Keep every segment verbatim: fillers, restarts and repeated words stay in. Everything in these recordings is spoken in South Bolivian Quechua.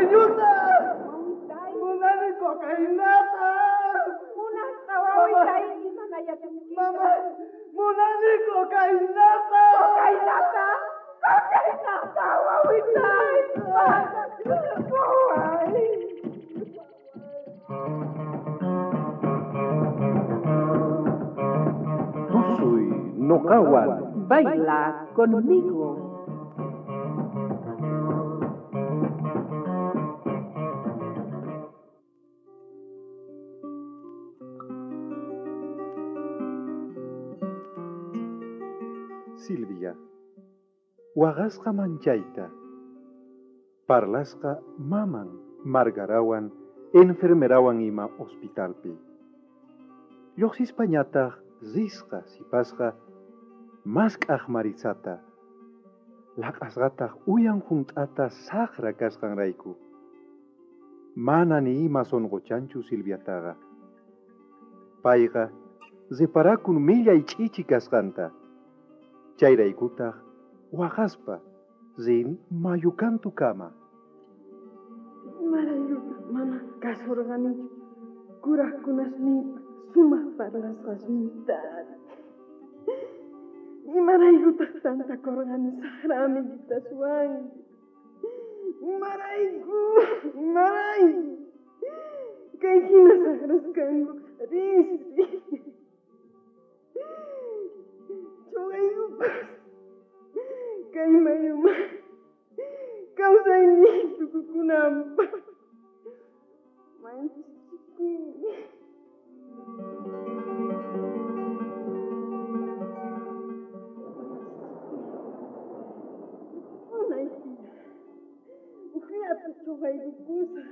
Mayuta! Munani cocainata! Munasqa wawitay, imana yachanki? Mama, munani cocainata! Cocainata! Cocainata, wawitay! Waway! Tusuy noqawan. Baila conmigo. Silvia, waqasqa manchayta, parlasqa maman Margarawan, enfermerawan ima hospitalpi. Lluqsispañataq risqa sipasqa mask'aq Marisata, laq'asqataq uyan hunt'ata saqra kasqanrayku. Mana ni ima sunquchanchu Silviataqa. Payqa reparakun millay ch'ichi kasqanta. Chayraykutaq waqaspa rin mayukantukama. Imaraykutaj mana kasurqanichu kurajkunasniypa sumaq parlasqasniyta. Imaraykutaj tantakurqani saqra amiguitaswan. Imarayku, imarayku. Kay hina saqras kanku risri. Chuqaykupas kay mayuma kawsayniy tukukunanpaq manchikuni. Unay tiyan, ujllata chuqaykukusaq,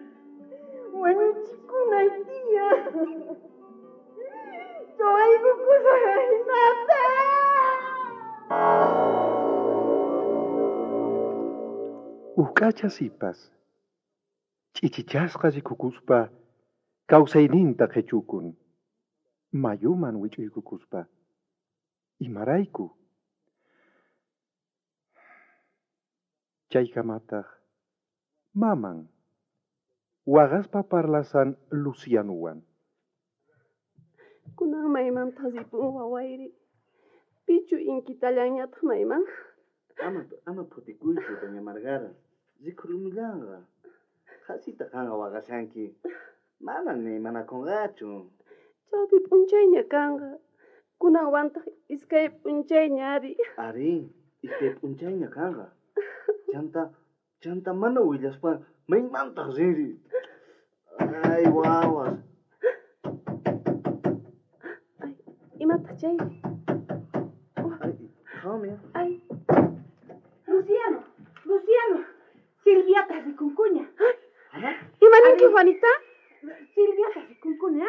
wañuchikunay tiyan. Chuqaykukusaq ajinata. Uq'acha sipas, ch'ichichasqa rikukuspa kawsayninta qhichukun, mayuman wich'uykukuspa. Imarayku? Chaykamataq maman waqaspa parlasan Lucianowan. Kunan maymanta ripun wawayri. Pichu inkitallanñataq mayman? Ama, ama phutikuychu, doña Margara. Rikhurumullanqa. Qhasita qanqa waqashanki. Mana ni manakunqachu. Chawpi p'unchayña kanqa. Kunanwantaq iskay p'unchayña ari. Ari, iskay p'unchayña kanqa. Chanta, chanta mana willaspa maymantaq rinri. Ay, wawas. Ay, imataq chayri? Ay, qhawmi. Ay. Luciano, Luciano, Silviata rikunkuña. Ima ninki, Juanita? Silviata rikunkuña.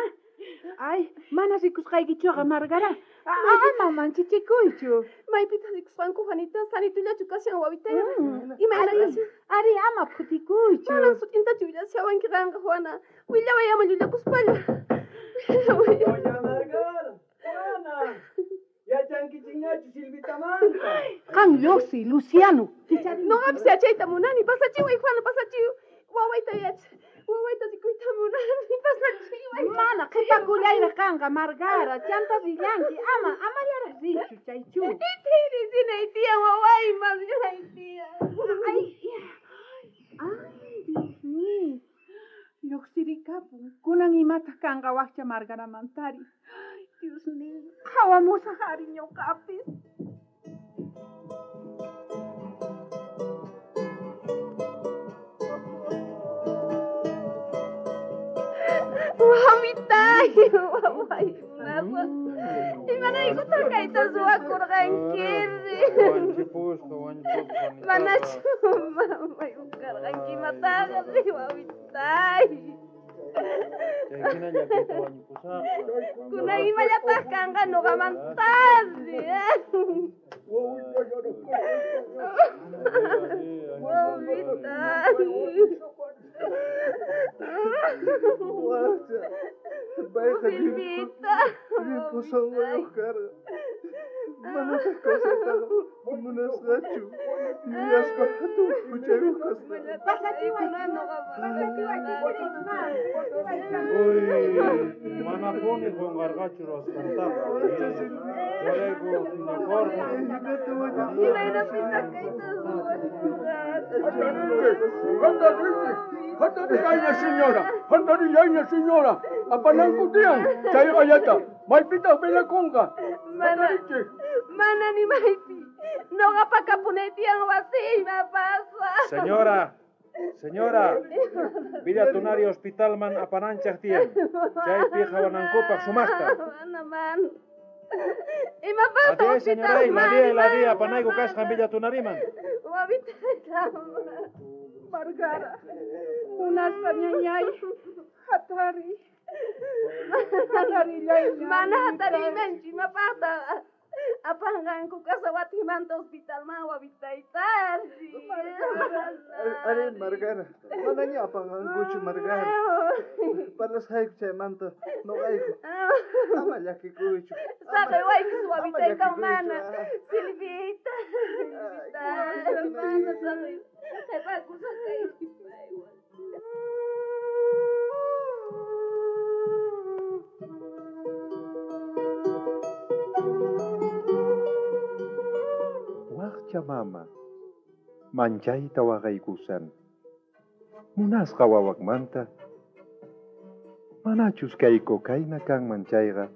Ay, mana rikusqaykichuqa, Margara. Ama manchichikuychu. Maypitaq rikusqanku, Juanita? Sanitullachu kashan wawitayqa? Imayna kashan? Ari, ama phutikuychu. Manan sut'intachu willashawanki qanqa, Juana. Willaway ama llullakuspalla. Doña Margara, Juana, yachankichikñachu Silvitamanta? Qan lluqsiy, Luciano. Noqapis yachayta munani. Pasachiway, Juana, pasachiway. Wawayta yachay. Wawayta rikuyta munani. Pasachiway. Mana qhipakullayraq kanqa, Margara. Chanta rillanki. Ama, amallaraq richu chaychu. Itiri rinay tiyan wawayman rinay tiyan. Ay, ay, Dios mío. Lluqsirikapun. Kunan imataq kanqa wakcha Margaramantari. Ay, Dios mío. Qhawamusaq ari ñuqapis. Wawitay, waway, munasqa. Imaraykutaq kayta ruwakurqankiri? Wañuchipusqa, wañuchipusqa, Juanitaqa. Manachu mamay ukarqanki imataqa, wawitay. Chay hina llakiyta wañupusaqqa. Kunan imallataq kanqa ñuqamantari. Wawitay. Waqcha, payqa Silvita. limpu sunquyuq karqa. Manataj kawsaytaqa munasqachu. Yuyaspa hatun huchayuq kasqa. Pasachiway, pasachiway, Uy, manapuni qunqarqachu ruwasqantaqa. Chayrayku phiñakurqa. Imaynapitaq kayta ruwasqa? Hatariyayña señora, hatariyayña señora. Apananku tiyan, chay ayata. Maypitaq velakunqa. Mana, mana ni maypi. Noqapa kapunay tiyan wasiyman pasa. Señora, señora, Villa Tunari hospitalman apananchaq tiyan. Chaypi qhawanankupaq sumaqta. Mana, mana. Imapaqtaq La día, señora, la día, la día, apanayku kasqan Villa Tunariman. Wawitayta. Margara, munasqa ñañay, hatari. Hatarillayña. Mana hatariymanchu, imapaqtaq apanqanku kasawatimanta hospitalman wawitaytari. Ari, Margara, manaña apanqankuchu, Margara. Parlasqayku chaymanta noqayku. Ama llakikuychu. Saqewaykus wawitayta mana. Silvita, Silvita, mana saqey. Qhipakusaq kaypi paywan. Waqcha mama, manchayta waqaykusan. Munasqa wawaqmanta. Manachus kay cocaína kanman chayqa,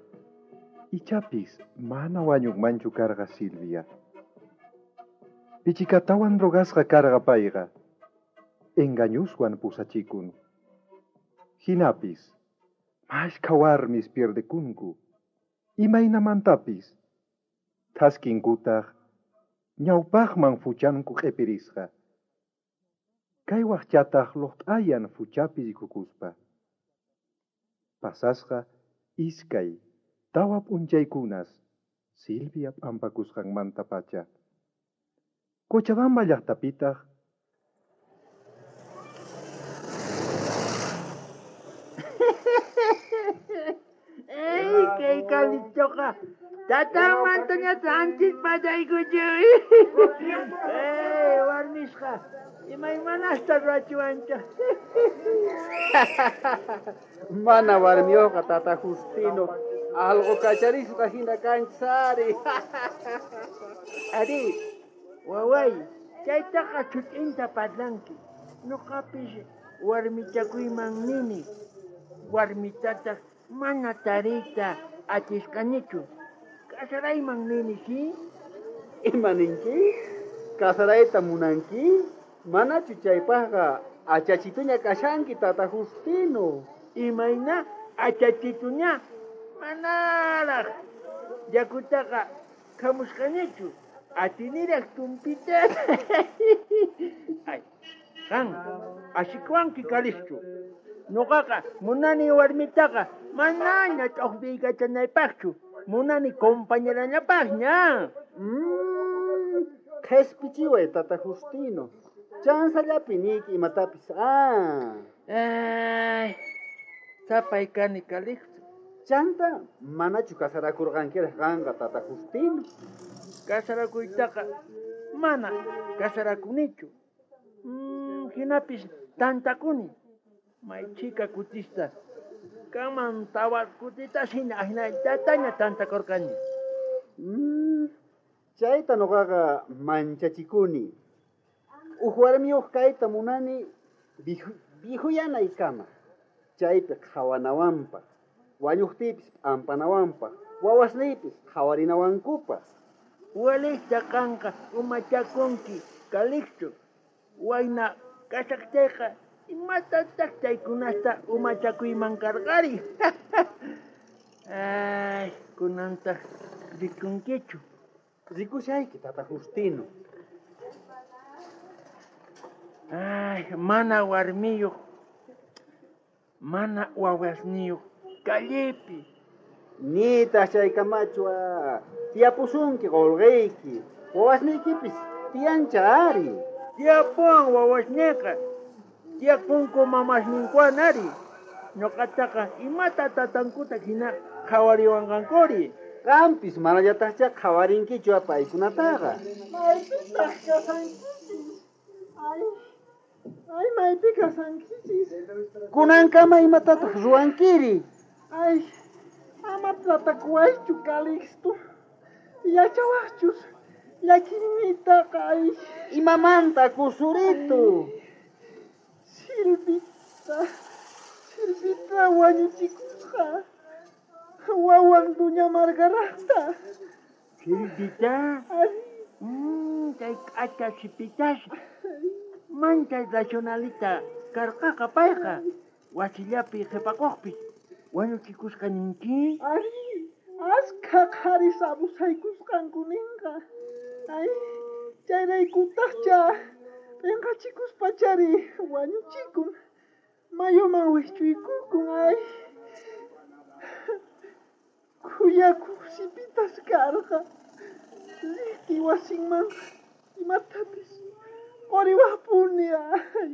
ichapis mana wañuqmanchu karqa Silvia. Pichikatawan drogasqa karqa payqa, engañuswan pusachikun. Hinapis, mashkha warmis pierdekunku, imaynamantapis, thaskinkutaq, ñawpaqman fuchanku q'ipirisqa. Kay waqchataq luqt'ayan fuchapi rikukuspa. Pasasqa iskay, tawa p'unchaykunas, Silvia p'ampakusqanmanta pacha. Cochabamba llaqtapitaq Ey, kay kalichoqa tatamantaña anchis pasaykuchu. Ey, warmisqa, imaymanasta ruwachiwancha. Mana warmiyuqqa tata Justino, algo kacharisqa hina kanchis ari. Ari, waway, chaytaqa chut'inta parlanki. Nuqapis warmichakuyman nini. Warmitataq mana tariyta atisqanichu. Kasarayman nini, si? Ima ninki? Kasarayta munanki? Manachu chaypaqqa achachituña kashanki tata Justino. Imayna achachituña? Manaraq yakutaqa khamusqanichu. Atiniraq tumpita. Ay, qan asikuwanki kalischu. Nuqaqa munani warmitaqa manaña ch'uqpiykachanaypaqchu. Munani compañerallapaqña. Mm, qhispichiway tata Justino. Chansallapi niyki imatapis. Ah. Ay, sapay kani Calixto. Chanta manachu kasarakurqankiraq qanqa tata Justino. Kasarakuytaqa mana kasarakunichu. Mm, hinapis tantakuni. May chika kutista. Kanman tawa kutitas hina ahinallataña tantakurqani. Mm, chayta nuqaqa manchachikuni. Uj warmiyuq kayta munani vijuyanaykama. Chaypi qhawanawanpaq, wañuqtiypis p'ampanawanpaq, wawasniypis qhawarinawankupaq. Walista qanqa umachakunki Calixto. Wayna kashaqtayqa imatataq chaykunasta umachakuyman karqari. Ay, kunantaq rikunkichu. Rikushayki tata Justino. Ay, mana warmiyuq, mana wawasniyuq, callepi. Nitaq chaykamachu tiyapusunki qulqiyki, wawasniykipis tiyancha ari. Tiyapuwan wawasniyqa, tiyakunku mamasninkuwan ari. Ñuqataqa imata tatankuta hina qhawariwanqankuri. Qampis manallataqcha qhawarinkichu paykunataqa. Maypitaq kasankichis? Ay, ay, maypi kasankichis? Kunankama imatataq ruwankiri? Ay, ama tratakuwaychu, Calixto. Yachawaqchus llakiyniytaqa, ay. Imamanta, Kusurito? Silvita, Silvita wañuchikusqa. Wawan Doña Margarata. Silvita? Mm, chay k'acha sipitas. Manchay racionalita karqaqa payqa. Wasillapi qhipakuqpis wañuchikusqa ninki? Ari, askha qharis abusaykusqanku ninqa. Ay, chayraykutaqcha p'inqachikuspachari wañuchikun. Mayuman wijch'uykukun, ay. Khuyakuq sipitas karqa. Riqti wasinman imatapis quriwaqpuni, ay.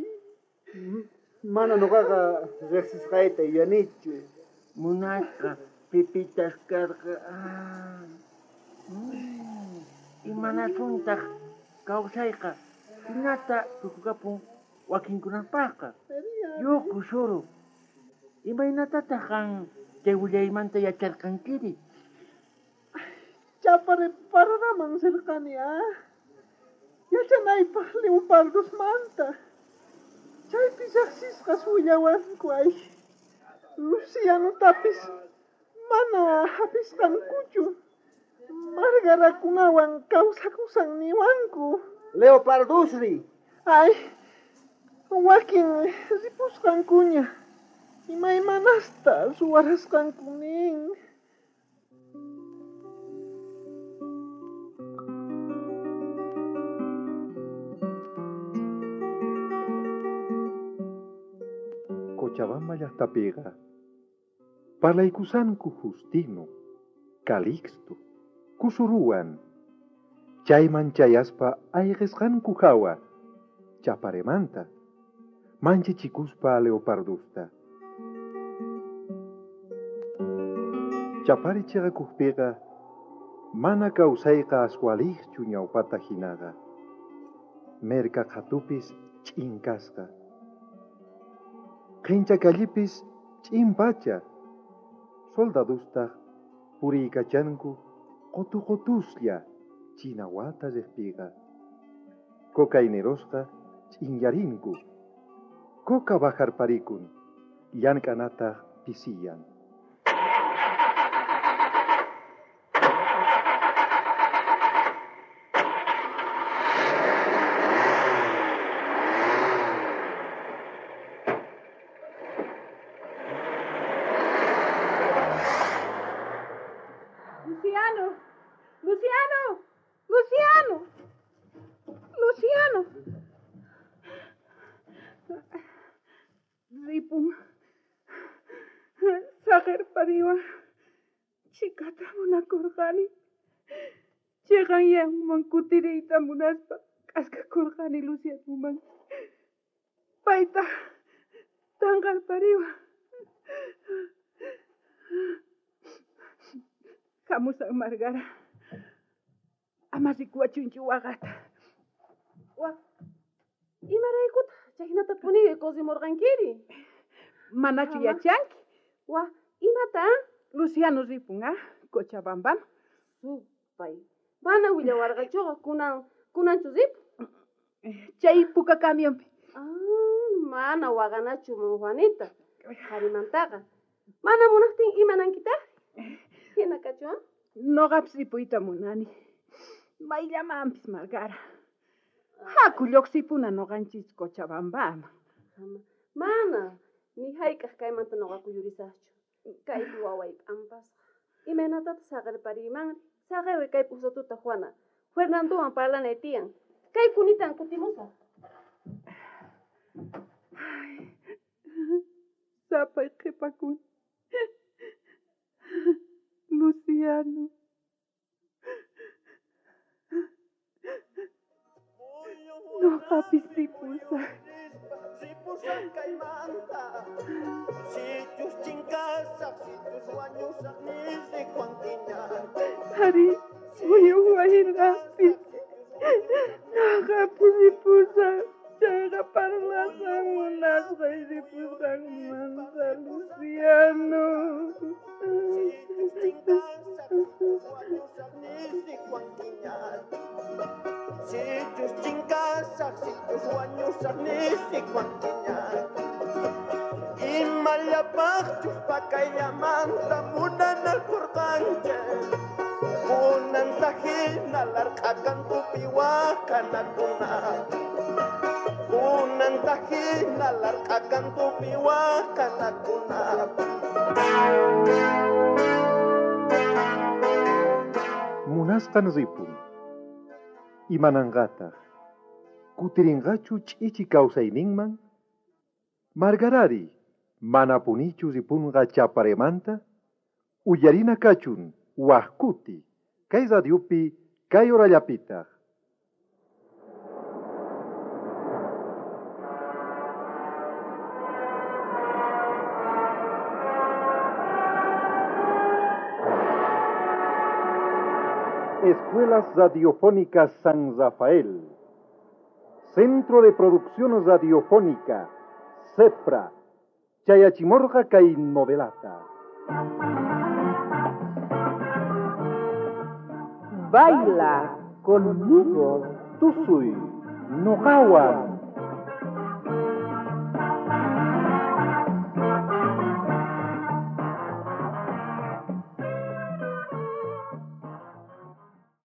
Mana noqaqa riqsisqayta yuyanichu. Munasqa pipitas karqa. Imanasuntaq kawsayqa hinata tukukapun wakinkunapaqqa. Yuku suru. Imaynatataq qan chay willaymanta yacharqankiri? Chapare paradaman sirqani, ah. Yachanaypaq leopardosmanta. Chaypi riqsisqas willawanku, ay. Lucianotapis mana hapisqankuchu. Margarakunawan kawsakusan niwanku. Leopardosri. Ay, wakin ripusqankuña. Imaymanasta ruwarasqanku nin. Cochabamba llaqtapiqa parlaykusanku Justino, Calixto, Kusuruwan. Chayman chayaspa ayqisqanku hawa, Chaparemanta, manchichikuspa leopardusta. Chapare chiqakuqpiqa mana kawsayqa aswaliqchu ñawpata hinaqa. Merka qhatupis ch'inkasqa. Qhinchakallipis ch'inpacha. Soldadustaq puriykachanku qutuqutuslla chinawata riqpiqa. Cocainerosqa ch'inyarinku. Coca bajarparikun, llank'anataq pisiyan. Luciano, Luciano, Luciano, Luciano. Ripun. Saqerpariwan chikata munakurqani. Chiqanyanman kutiriyta munaspa k'askakurqani Lucianoman. Payta tanqarpariwan. Hamusaq Margara. Ama rikuwachunchu waqata. Wa, imaraykutaq chaynatapuni kusimurqankiri? Manachu yachanki? Wa, imata? Luciano ripun, ah, Cochabambaman. Supay, mana willawarqachuqa kunan kunanchu ripun? Chay puka camionpi. Ah, mana waqanachu Juanita. Qharimantaqa. Mana munaqtin imanankitaq? Hina kachuan? Noqapis ripuyta munani. Mayllamanpis Margara. Haku lluqsipuna noqanchis Cochabambaman. Mana, ni hayk'aq kaymanta noqa kuyurisaqchu. Kaypi waway p'ampasqa. Imaynatataq saqerpariymanri? Saqewi kay p'usatuta Juana. Fernandowan parlanay tiyan. Kay kunitan kutimusaq. Sapay qhipakuni. Luciano. Noqapis ripusaq. Ripusaq kaymanta. Sichus chinkasaq, sichus wañusaq nisriwankiña. Ari, uyuwayqapis. Noqa puripusaq, chayqa parlasaq munasqay ripusqanmanta, Luciano. Sichus chinkasaq, sichus wañusaq nisriwankiña. Sichus chinkasaq, sichus wañusaq nisriwankiña. Imallapaqchus pakayllamanta munanakurqanchik. Kunanta hina larq'akantupi waqanakuna. Kunanta hina larq'akantupi waqanakuna. Munasqan ripun. Imananqataq. Kutirinqachu ch'ichi kawsayninman? Margarari, manapunichu ripunqa Chaparemanta? Uyarina kachun, wajkuti, kay radiopi, kay horallapitaq. Escuelas Radiofónicas San Rafael, Centro de Producción Radiofónica, CEPRA, Chayachimorga kay novelata. Baila conmigo. Tusuy, noqawan.